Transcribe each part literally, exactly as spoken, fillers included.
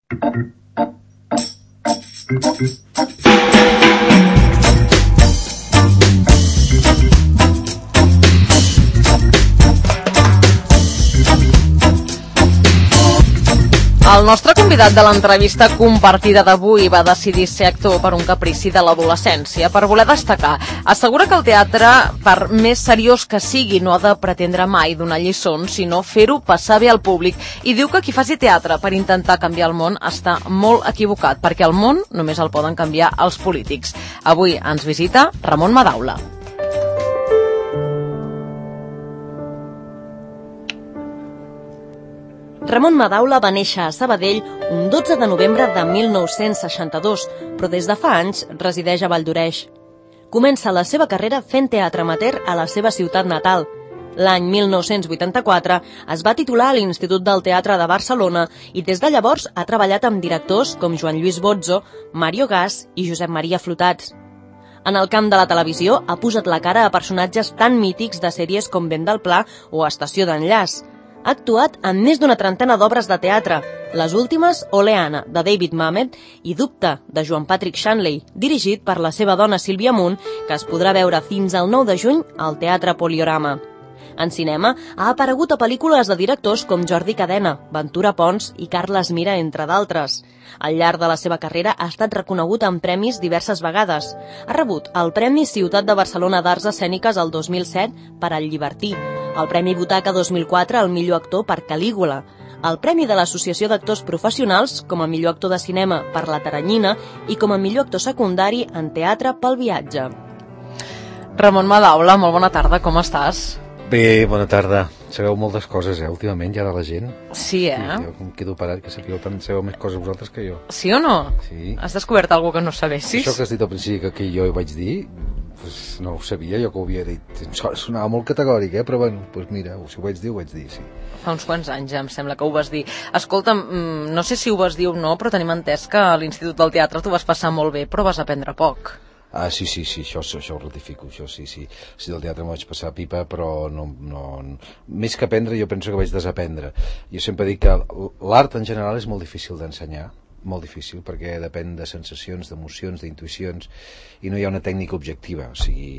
El nostre convidat de l'entrevista compartida d'avui va decidir ser actor per un caprici de l'adolescència, per voler destacar. Assegura que el teatre, per més seriós que sigui, no ha de pretendre mai donar lliçons, sinó fer-ho passar bé al públic. I diu que qui faci teatre per intentar canviar el món està molt equivocat, perquè el món només el poden canviar els polítics. Avui ens visita Ramon Madaula. Ramon Madaula va néixer a Sabadell un dotze de novembre de mil nou-cents seixanta-dos, però des de fa anys resideix a Valldoreix. Comença la seva carrera fent teatre amateur a la seva ciutat natal. L'any mil nou-cents vuitanta-quatre es va titular a l'Institut del Teatre de Barcelona i des de llavors ha treballat amb directors com Joan Lluís Bozzo, Mario Gas i Josep Maria Flotats. En el camp de la televisió ha posat la cara a personatges tan mítics de sèries com Vent del Pla o Estació d'Enllaç. Ha actuat en més d'una trentena d'obres de teatre, les últimes Oleana, de David Mamet, i Dubte, de Joan Patrick Shanley, dirigit per la seva dona Sílvia Munt, que es podrà veure fins al nou de juny al Teatre Poliorama. En cinema ha aparegut a pel·lícules de directors com Jordi Cadena, Ventura Pons i Carles Mira, entre d'altres. Al llarg de la seva carrera ha estat reconegut en premis diverses vegades. Ha rebut el Premi Ciutat de Barcelona d'Arts Escèniques el dos mil set per El Llibertí, el Premi Butaca dos mil quatre al millor actor per Calígula, el Premi de l'Associació d'Actors Professionals com a millor actor de cinema per La Teranyina i com a millor actor secundari en teatre pel Viatge. Ramon Madaula, molt bona tarda, com estàs? Bé, bona tarda. Sabeu moltes coses, eh, últimament, ja de la gent. Sí, eh? Sí, jo em quedo parat, que sapigueu tant, sabeu més coses vosaltres que jo. Sí o no? Sí. Has descobert alguna cosa que no sabessis? Això que has dit al principi que, que jo ho vaig dir, pues no ho sabia, jo que ho havia dit. Sonava molt categòric, eh? Però bueno, pues mira, si ho vaig dir, ho vaig dir, sí. Fa uns quants anys ja em sembla que ho vas dir. Escolta, no sé si ho vas dir o no, però tenim entès que a l'Institut del Teatre t'ho vas passar molt bé, però vas aprendre poc. Ah, sí, sí, sí, això, això ho ratifico, això sí, sí. Sí, del teatre m'ho vaig passar a pipa, però no, no, no... Més que aprendre, jo penso que vaig desaprendre. Jo sempre dic que l'art en general és molt difícil d'ensenyar, molt difícil, perquè depèn de sensacions, d'emocions, d'intuïcions, i no hi ha una tècnica objectiva, o sigui...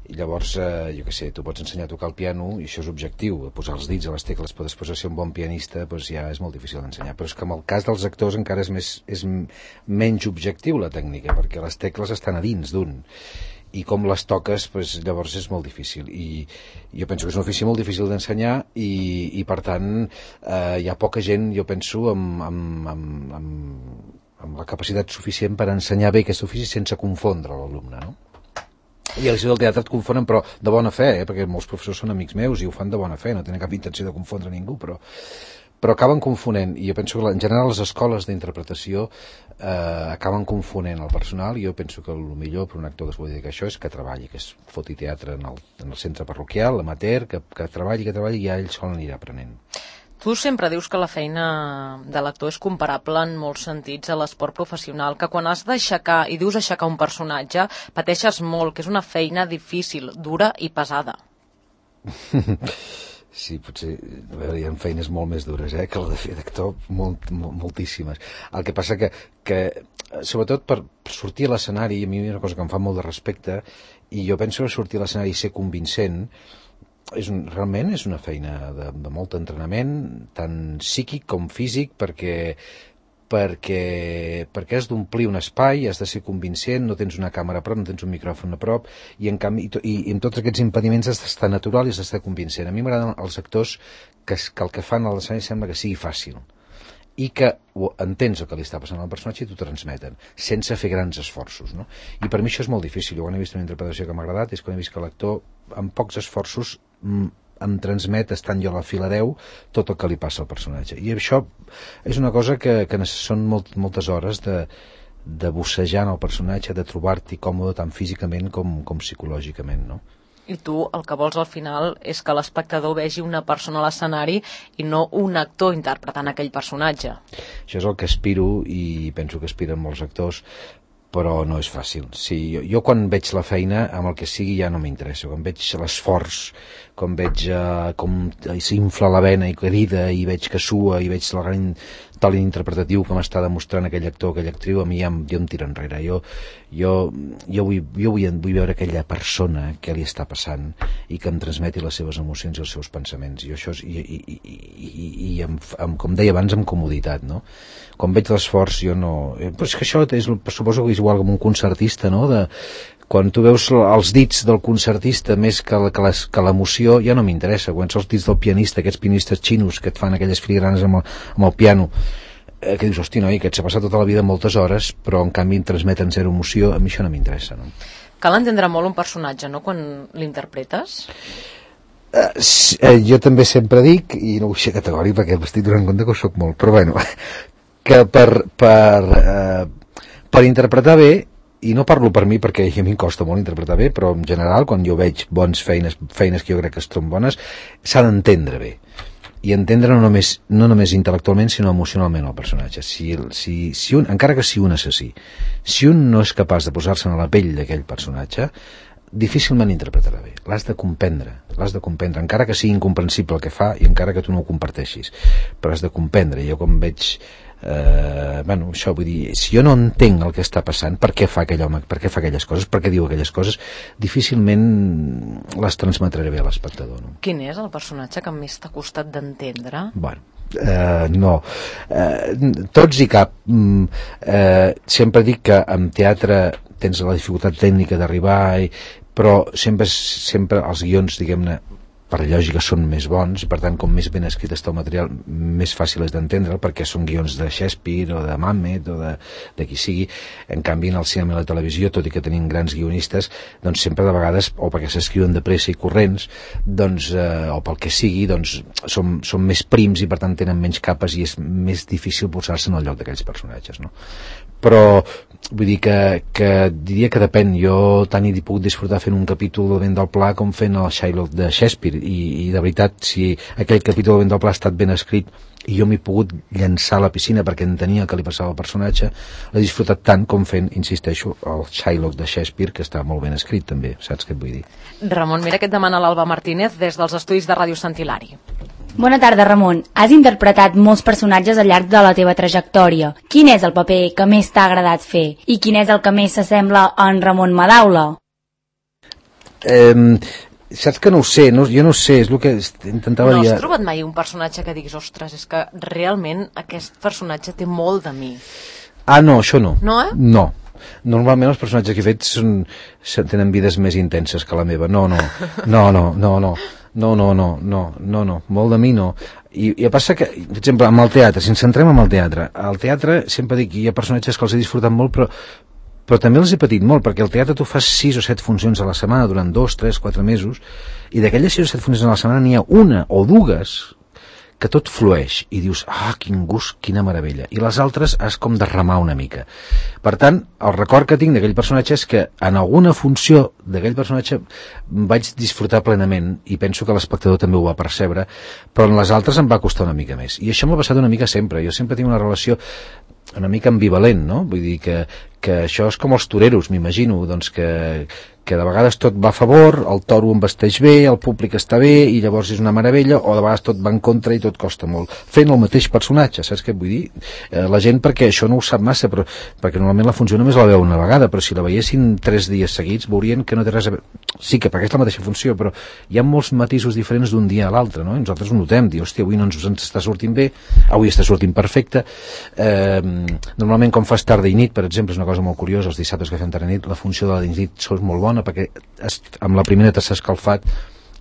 I llavors, eh, jo què sé, tu pots ensenyar a tocar el piano i això és objectiu, posar els dits a les tecles per després ser un bon pianista, doncs ja és molt difícil d'ensenyar. Però és que en el cas dels actors encara és, més, és menys objectiu la tècnica, perquè les tecles estan a dins d'un, i com les toques, doncs, llavors és molt difícil. I jo penso que és un ofici molt difícil d'ensenyar i, i per tant eh, hi ha poca gent, jo penso, amb, amb, amb, amb, amb la capacitat suficient per ensenyar bé aquest ofici sense confondre l'alumne, no? I a l'Institut del Teatre et confonen, però de bona fe, eh? Perquè molts professors són amics meus i ho fan de bona fe, no tenen cap intenció de confondre ningú, però, però acaben confonent, i jo penso que en general les escoles d'interpretació eh, acaben confonent el personal, i jo penso que el millor per un actor que es vol dedicar a això és que treballi, que es foti teatre en el, en el centre parroquial, amateur, que, que treballi, que treballi, i ja ell sol anirà aprenent. Tu sempre dius que la feina de l'actor és comparable en molts sentits a l'esport professional, que quan has d'aixecar, i dius aixecar un personatge, pateixes molt, que és una feina difícil, dura i pesada. Sí, potser a veure, hi ha feines molt més dures eh, que la de fer d'actor, molt, molt, moltíssimes. El que passa que, que sobretot per sortir a l'escenari, a mi és una cosa que em fa molt de respecte, i jo penso que sortir a l'escenari i ser convincent és un, realment és una feina de, de molt entrenament, tant psíquic com físic, perquè, perquè, perquè has d'omplir un espai, has de ser convincent, no tens una càmera a prop, no tens un micròfon a prop, i en canvi, i, i amb tots aquests impediments has d'estar natural i has d'estar convincent. A mi m'agraden els actors que, que el que fan a l'escenari sembla que sigui fàcil, i que entens el que li està passant al personatge i t'ho transmeten, sense fer grans esforços, no? I per mi això és molt difícil. Jo quan he vist una interpretació que m'ha agradat és quan he vist que l'actor, amb pocs esforços, em transmet, estant jo a la fila deu, tot el que li passa al personatge. I això és una cosa que, que són molt, moltes hores de, de bussejar en el personatge, de trobar-t'hi còmode tant físicament com, com psicològicament, no? I tu el que vols al final és que l'espectador vegi una persona a l'escenari i no un actor interpretant aquell personatge. Això és el que aspiro, i penso que aspiren molts actors, però no és fàcil. Sí, jo, jo quan veig la feina, amb el que sigui ja no m'interessa. Quan veig l'esforç, quan veig eh, com s'infla la vena i crida, i veig que sua, i veig el gran talent interpretatiu que m'està demostrant aquell actor, aquella actriu, a mi ja, jo em tira enrere. Jo, jo, jo, vull, jo vull, vull veure aquella persona que li està passant i que em transmeti les seves emocions i els seus pensaments. I això és, i, i, i, i, i amb, amb, com deia abans, amb comoditat, no? Quan veig l'esforç jo no... Però és que això és, suposo que és igual com un concertista, no? De, quan tu veus els dits del concertista més que, la, que l'emoció, ja no m'interessa. Quan són els dits del pianista, aquests pianistes xinos que et fan aquelles filigranes amb el, amb el piano, eh, que dius, hosti, noi, que et s'ha passat tota la vida moltes hores, però en canvi em transmeten zero emoció, a mi això no m'interessa, no? Cal entendre molt un personatge, no?, quan l'interpretes? Uh, sí, eh, jo també sempre dic, i no vull ser categòric perquè m'estic donant compte que ho soc molt, però bueno, que per, per, eh, per interpretar bé, i no parlo per mi perquè a mi em costa molt interpretar bé, però en general quan jo veig bones feines, feines que jo crec que són bones, s'ha d'entendre bé, i entendre no només, no només intel·lectualment sinó emocionalment el personatge. Si, si, si un, encara que sigui un assassí, si un no és capaç de posar-se a la pell d'aquell personatge, difícilment interpretarà bé. L'has de comprendre, l'has de comprendre, encara que sigui incomprensible el que fa i encara que tu no ho comparteixis, però has de comprendre. Jo quan veig eh, bueno, això vull dir, si jo no entenc el que està passant, per què fa aquell home, per què fa aquelles coses, per què diu aquelles coses, difícilment les transmetré bé a l'espectador, no? Quin és el personatge que més t'ha costat d'entendre? Bueno, Uh, no uh, tots i cap. mm, uh, sempre dic que en teatre tens la dificultat tècnica d'arribar i, però sempre, sempre els guions, diguem-ne, per lògica són més bons, i per tant com més ben escrit està el material més fàcil és d'entendre'l, perquè són guions de Shakespeare o de Mamet o de, de qui sigui. En canvi en el cinema i la televisió, tot i que tenim grans guionistes, doncs sempre de vegades, o perquè s'escriuen de pressa i corrents, doncs, eh, o pel que sigui, doncs són, són més prims i per tant tenen menys capes i és més difícil posar-se en el lloc d'aquells personatges, no? Però vull dir que, que diria que depèn. Jo tant hi puc disfrutar fent un capítol de Vent del Pla com fent el Shylock de Shakespeare, i, i de veritat, si aquell capítol de Vent del Pla ha estat ben escrit i jo m'he pogut llançar a la piscina perquè entenia el que li passava al personatge, l'he disfrutat tant com fent, insisteixo, el Shylock de Shakespeare, que està molt ben escrit també, saps què et vull dir? Ramon, mira què et demana l'Alba Martínez des dels estudis de Ràdio Sant Hilari. Bona tarda, Ramon. Has interpretat molts personatges al llarg de la teva trajectòria. Quin és el paper que més t'ha agradat fer? I quin és el que més s'assembla a en Ramon Madaula? Eh, saps que no ho sé, no, jo no ho sé, és el que intentava dir... dir... No has trobat mai un personatge que diguis, ostres, és que realment aquest personatge té molt de mi? Ah, no, això no. No, eh? No. Normalment els personatges que he fet són, tenen vides més intenses que la meva. No, no, no, no, no, no. No, no, no, no, no, no, molt de mi no. I, i passa que, per exemple, amb el teatre, si ens centrem en el teatre, al teatre sempre dic que hi ha personatges que els he disfrutat molt, però, però també els he patit molt, perquè al teatre tu fas sis o set funcions a la setmana durant dos, tres, quatre mesos, i d'aquelles sis o set funcions a la setmana n'hi ha una o dues que tot flueix i dius, ah, quin gust, quina meravella, i les altres has com de remar una mica. Per tant, el record que tinc d'aquell personatge és que en alguna funció d'aquell personatge vaig disfrutar plenament i penso que l'espectador també ho va percebre, però en les altres em va costar una mica més, i això m'ha passat una mica sempre. Jo sempre tinc una relació una mica ambivalent, no? Vull dir que, que això és com els toreros, m'imagino, doncs que, que de vegades tot va a favor, el toro em vesteix bé, el públic està bé i llavors és una meravella, o de vegades tot va en contra i tot costa molt. Fent el mateix personatge, saps què vull dir? Eh, la gent, perquè això no ho sap massa, però, perquè normalment la funció només la veu una vegada, però si la veiessin tres dies seguits veurien que no té res a veure. Sí que perquè és la mateixa funció, però hi ha molts matisos diferents d'un dia a l'altre, no? I nosaltres ho notem, dir, hòstia, avui no ens, ens està sortint bé, avui està sortint perfecte. Eh, normalment quan fas tarda i nit, per exemple, és una cosa molt curiosa, els dissabtes que fem tarda i nit, la funció de la nit és molt bona perquè es, amb la primera t'has escalfat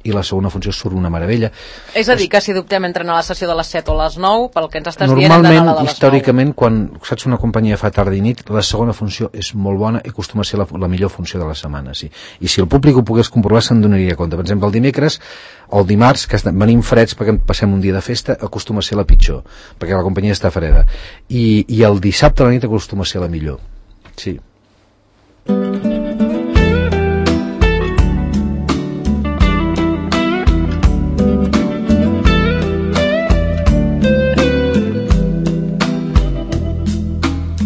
i la segona funció surt una meravella. És a dir, que si dubtem entre anar a la sessió de les set o les nou, pel que ens estàs dient, normalment, hem d'anar a la de les històricament, nou. Quan saps una companyia fa tarda i nit, la segona funció és molt bona i acostuma a ser la, la millor funció de la setmana, sí. I si el públic ho pogués comprovar se'n donaria compte. Per exemple, el dimecres o el dimarts, que venim freds perquè passem un dia de festa, acostuma a ser la pitjor, perquè la companyia està freda. I, i el dissabte a la nit acostuma a ser la millor. Sí.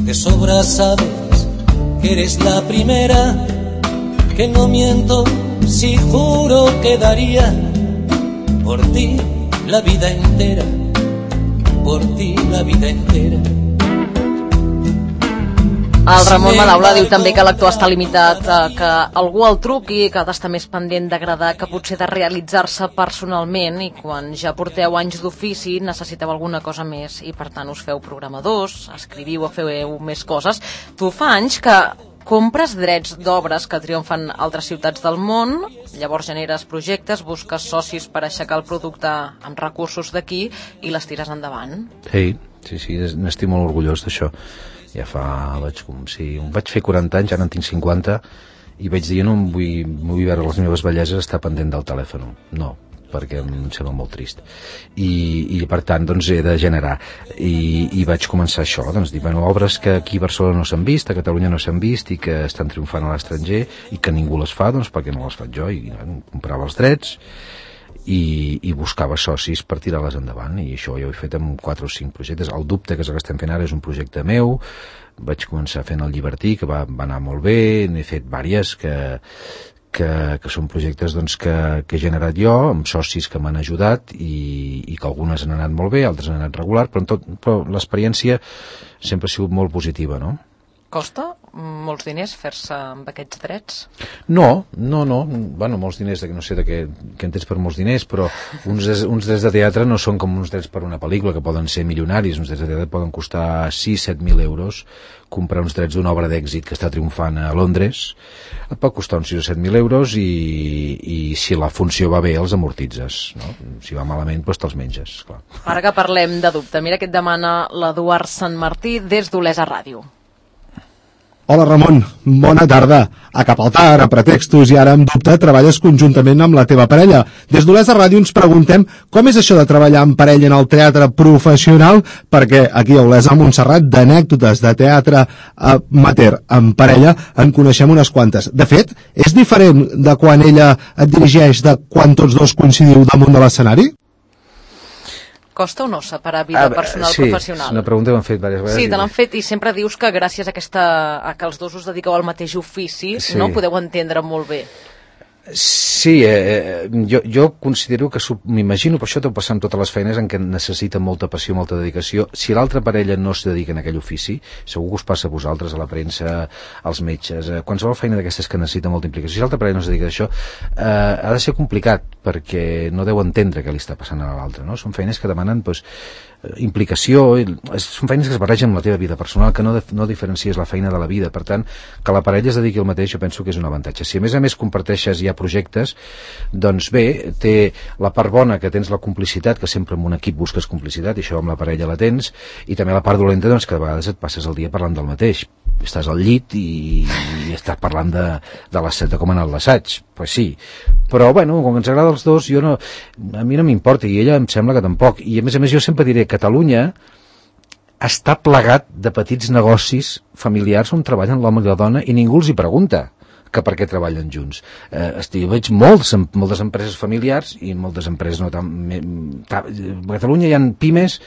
De sobra sabes que eres la primera, que no miento si juro que daría por ti la vida entera, por ti la vida entera. El Ramon Madaula diu també que l'actor està limitat a que algú el truqui, que ha d'estar més pendent d'agradar que potser de realitzar-se personalment, i quan ja porteu anys d'ofici necessiteu alguna cosa més i per tant us feu programadors, escriviu o feu més coses. Tu fa anys que compres drets d'obres que triomfen a altres ciutats del món, llavors generes projectes, busques socis per aixecar el producte amb recursos d'aquí i les tires endavant. Sí, sí, sí, n'estic molt orgullós d'això. Ja fa, vaig, com si, vaig fer quaranta anys, ara en tinc cinquanta, i vaig dir, no em vull, vull veure les meves belleses estar pendent del telèfon. No, perquè em sembla molt trist. I, i per tant, doncs, he de generar. I, i vaig començar això, doncs, dir, bueno, obres que aquí a Barcelona no s'han vist, a Catalunya no s'han vist, i que estan triomfant a l'estranger, i que ningú les fa, doncs, perquè no les faig jo? I bueno, comprava els drets, I, i buscava socis per tirar-les endavant, i això jo ho he fet amb quatre o cinc projectes. El Dubte, que és el que estem fent ara, és un projecte meu. Vaig començar fent el Llibertí, que va, va anar molt bé. N'he fet vàries que, que, que són projectes doncs, que, que he generat jo, amb socis que m'han ajudat, i, i que algunes han anat molt bé, altres han anat regular, però, en tot, però l'experiència sempre ha sigut molt positiva, no? Costa molts diners fer-se amb aquests drets? No, no, no. Bueno, molts diners, no sé de què, què entens per molts diners, però uns, uns drets de teatre no són com uns drets per una pel·lícula, que poden ser milionaris. Uns drets de teatre poden costar sis a set mil euros. Comprar uns drets d'una obra d'èxit que està triomfant a Londres et pot costar uns sis o set mil euros, i, i si la funció va bé els amortitzes, no? Si va malament, doncs te'ls menges, clar. Ara que parlem de Dubte, mira què et demana l'Eduard Sant Martí des d'Olesa Ràdio. Hola Ramon, bona tarda. A Capaltar, a Pretextos i ara amb Dubte treballes conjuntament amb la teva parella. Des d'Olesa Ràdio ens preguntem com és això de treballar en parella en el teatre professional, perquè aquí a Olesa, Montserrat, d'anècdotes de teatre amateur en parella en coneixem unes quantes. De fet, és diferent de quan ella et dirigeix de quan tots dos coincidiu damunt de l'escenari? Costa o no separar vida ah, personal sí, professional? Sí, una pregunta que m'han fet diverses vegades. Sí, te l'han fet i sempre dius que gràcies a, aquesta, a que els dos us dediqueu al mateix ofici, sí. No podeu entendre molt bé. Sí, eh, jo, jo considero que m'imagino, per això deu passar amb totes les feines en què necessita molta passió, molta dedicació. Si l'altra parella no es dedica en aquell ofici, segur que us passa a vosaltres, a la premsa, als metges, a qualsevol feina d'aquestes que necessita molta implicació. Si l'altra parella no es dedica a això, eh, ha de ser complicat, perquè no deu entendre què li està passant a l'altre, no? Són feines que demanen, doncs, implicació, són feines que es barregen amb la teva vida personal, que no, no diferencies la feina de la vida. Per tant, que la parella es dediqui al mateix, jo penso que és un avantatge. Si a més a més comparteixes ja projectes, doncs bé, té la part bona que tens la complicitat, que sempre en un equip busques complicitat, i això amb la parella la tens, i també la part dolenta, doncs, que de vegades et passes el dia parlant del mateix. Estàs al llit i, i estàs parlant de, de, de com ha anat l'assaig. Pues sí, però bueno, com que ens agrada els dos, jo no, a mi no m'importa, i ella em sembla que tampoc. I a més a més jo sempre diré, Catalunya està plegat de petits negocis familiars on treballen l'home i la dona i ningú els hi pregunta que per què treballen junts. Eh, estic, veig molts, moltes empreses familiars i moltes empreses no tan... A Catalunya hi ha pimes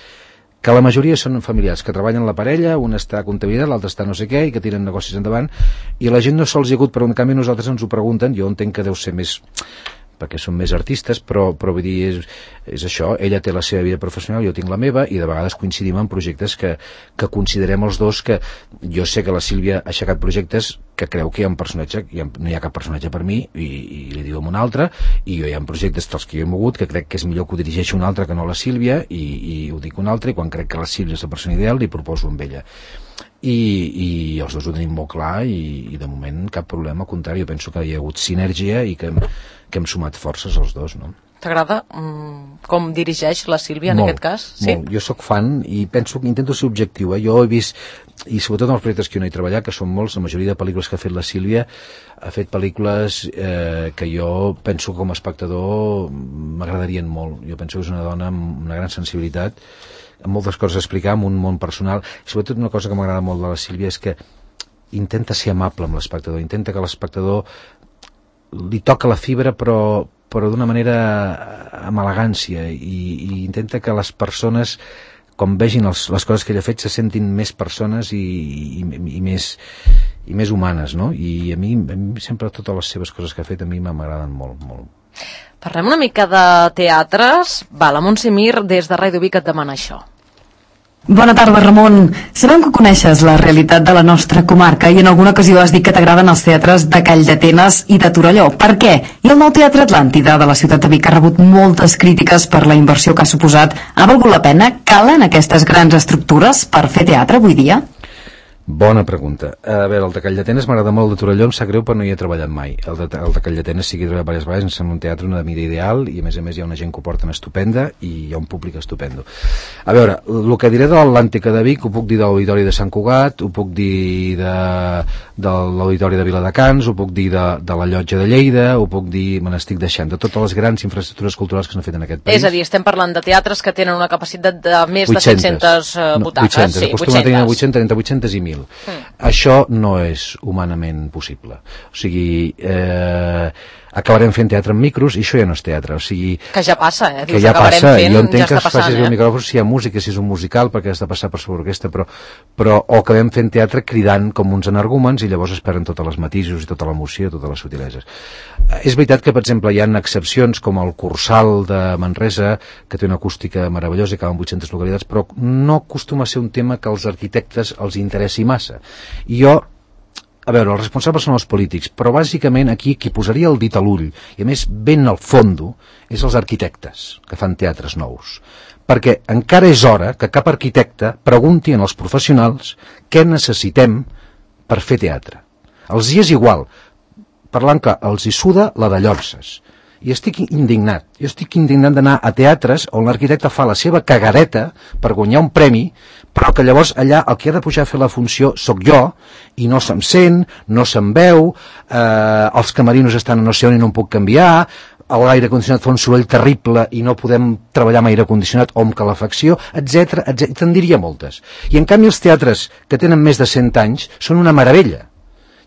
que la majoria són familiars, que treballen la parella, un està a comptabilitat, l'altre està no sé què, i que tiren negocis endavant, i la gent no sols hi ha hagut, però en canvi nosaltres ens ho pregunten, jo entenc que deu ser més perquè són més artistes, però, però vull dir, és, és això, ella té la seva vida professional, jo tinc la meva, i de vegades coincidim en projectes que, que considerem els dos, que jo sé que la Sílvia ha aixecat projectes que creu que hi ha un personatge, hi ha, no hi ha cap personatge per mi, i, i li diu a un altre, i jo hi ha projectes dels que jo he mogut, que crec que és millor que ho dirigeixi un altre que no la Sílvia, i, i ho dic un altre, i quan crec que la Sílvia és la persona ideal, li proposo amb ella. I, i els dos ho tenim molt clar, i, i de moment cap problema, al contrari, jo penso que hi ha hagut sinergia i que, que hem sumat forces els dos, no? T'agrada mm, com dirigeix la Sílvia en molt, aquest cas? Sí? Molt. Jo sóc fan i penso que intento ser objectiu. Eh? Jo he vist, i sobretot en els projectes que jo no he treballat, que són molts, la majoria de pel·lícules que ha fet la Sílvia, ha fet pel·lícules eh, que jo penso que com a espectador m'agradarien molt. Jo penso que és una dona amb una gran sensibilitat, amb moltes coses a explicar, amb un món personal. I sobretot una cosa que m'agrada molt de la Sílvia és que intenta ser amable amb l'espectador, intenta que l'espectador li toca la fibra, però, però d'una manera amb elegància, i, i intenta que les persones, quan vegin els, les coses que ella ha fet, se sentin més persones i, i, i més i més humanes, no? I a mi, a mi sempre totes les seves coses que ha fet a mi m'agraden molt, molt. Parlem una mica de teatres. Va, la Montse Mir des de Ràdio Vic et demana això. Bona tarda, Ramon. Sabem que coneixes la realitat de la nostra comarca i en alguna ocasió has dit que t'agraden els teatres de Calldetenes i de Torelló. Per què? I el nou Teatre Atlàntida de la ciutat de Vic ha rebut moltes crítiques per la inversió que ha suposat. Ha valgut la pena? Calen aquestes grans estructures per fer teatre avui dia? Bona pregunta. A veure, el de Calldetenes m'agrada molt, el de Torelló em sap greu, però no hi he treballat mai. El de, el de Calldetenes sí que he treballat diverses vegades, em sembla un teatre una mida ideal i a més a més hi ha una gent que ho porten estupenda i hi ha un públic estupendo. A veure, el que diré de l'Atlàntica de Vic ho puc dir de l'Auditori de Sant Cugat, ho puc dir de, de l'Auditori de Viladecans, ho puc dir de, de la Llotja de Lleida, ho puc dir, me n'estic deixant, de totes les grans infraestructures culturals que s'han fet en aquest país. És a dir, estem parlant de teatres que tenen una capacitat de més de set-centes uh, butaques. No, vuit-centes, sí, acostuma a tenir vuit-centes, entre vuit-centes i mil. Mm. Això no és humanament possible. O sigui, eh, acabarem fent teatre amb micros i això ja no és teatre. O sigui, que ja passa, eh? Que ja passa, fent, jo entenc ja que es faci eh? el micròfon si hi ha música, si és un musical, perquè has de passar per sobre orquestra, però, però o acabem fent teatre cridant com uns energúmens i llavors es perden totes les matisos i tota l'emoció, totes les subtileses. És veritat que, per exemple, hi ha excepcions com el Cursal de Manresa, que té una acústica meravellosa i acaba en vuit-centes localitats, però no acostuma a ser un tema que als arquitectes els interessi massa. I jo, a veure, els responsables són els polítics, però bàsicament aquí qui posaria el dit a l'ull, i a més ben al fondo, és els arquitectes que fan teatres nous. Perquè encara és hora que cap arquitecte pregunti als professionals què necessitem per fer teatre. Els hi és igual, parlant que els hi suda la de Llorses. I estic indignat. Jo estic indignat d'anar a teatres on l'arquitecte fa la seva cagadeta per guanyar un premi, però que llavors allà el que ha de pujar a fer la funció sóc jo, i no se'm sent, no se'm veu, eh, els camerinos estan a no sé on i no em puc canviar, l'aire condicionat fa un soroll terrible i no podem treballar amb aire condicionat o amb calefacció, etcètera, etcètera. Te'n diria moltes. I en canvi els teatres que tenen més de cent anys són una meravella.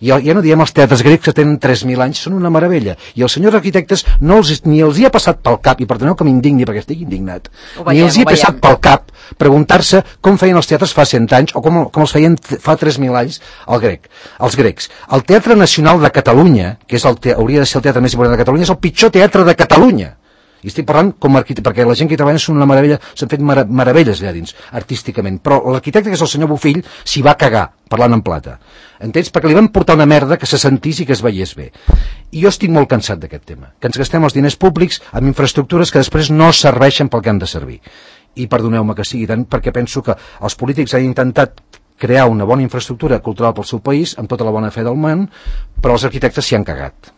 Ja, ja no diem els teatres grecs que tenen tres mil anys, són una meravella. I els senyors arquitectes no els, ni els hi ha passat pel cap, i perdoneu que m'indigni perquè estic indignat, veiem, ni els hi ha passat pel cap preguntar-se com feien els teatres fa cent anys o com, com els feien fa tres mil anys el grec, els grecs. El Teatre Nacional de Catalunya, que és el te, hauria de ser el teatre més important de Catalunya, és el pitjor teatre de Catalunya. I estic parlant com a arquitecte, perquè la gent que hi treballa són una meravella, s'han fet mar meravelles allà dins, artísticament, però l'arquitecte, que és el senyor Bofill, s'hi va cagar, parlant en plata. Entens? Perquè li van portar una merda que se sentís i que es veiés bé. I jo estic molt cansat d'aquest tema, que ens gastem els diners públics amb infraestructures que després no serveixen pel que han de servir. I perdoneu-me que sigui tant, perquè penso que els polítics han intentat crear una bona infraestructura cultural pel seu país, amb tota la bona fe del món, però els arquitectes s'hi han cagat.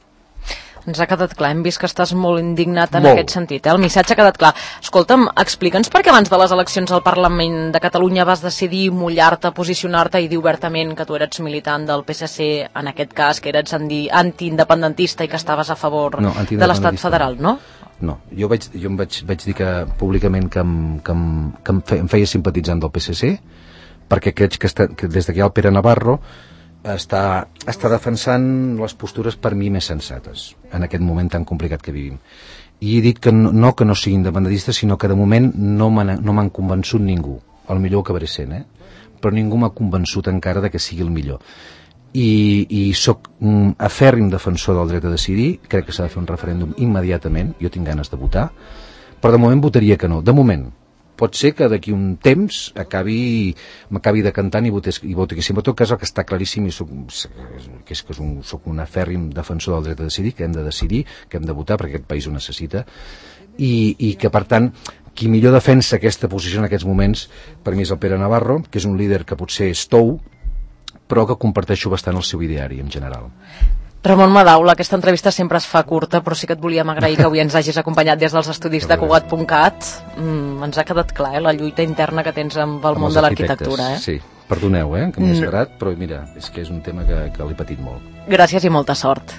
Ens ha quedat clar, hem vist que estàs molt indignat en molt. Aquest sentit, eh? El missatge ha quedat clar. Escolta'm, explica'ns per què abans de les eleccions al Parlament de Catalunya vas decidir mullar-te, posicionar-te i dir obertament que tu eres militant del P S C, en aquest cas, que eres antiindependentista i que estaves a favor no, de l'Estat federal, no? No, jo, vaig, jo em vaig, vaig dir que públicament que em, que em, que em, fe, em feia simpatitzant del P S C, perquè crec que, està, que des que hi ha el Pere Navarro està, està defensant les postures per mi més sensates en aquest moment tan complicat que vivim. I he dit que no, no que no sigui independentista, sinó que de moment no m'han no convençut ningú. El millor ho acabaré sent, eh? Però ningú m'ha convençut encara de que sigui el millor. I, i soc un afèrrim defensor del dret a decidir, crec que s'ha de fer un referèndum immediatament, jo tinc ganes de votar, però de moment votaria que no. De moment. Pot ser que d'aquí un temps acabi m'acabi decantant i voti, i voti que sí. En tot cas, el que està claríssim i soc, que és que un, soc un afèrrim defensor del dret a decidir, que hem de decidir, que hem de votar perquè aquest país ho necessita, i, i que per tant qui millor defensa aquesta posició en aquests moments per mi és el Pere Navarro, que és un líder que potser és tou, però que comparteixo bastant el seu ideari en general. Ramon Madaula, aquesta entrevista sempre es fa curta, però sí que et volíem agrair que avui ens hagis acompanyat des dels estudis de Cugat punt cat. Mm, ens ha quedat clar, eh, la lluita interna que tens amb el amb món de l'arquitectura. Eh? Sí, perdoneu, eh, que m'he esverat, però mira, és que és un tema que, que l'he patit molt. Gràcies i molta sort.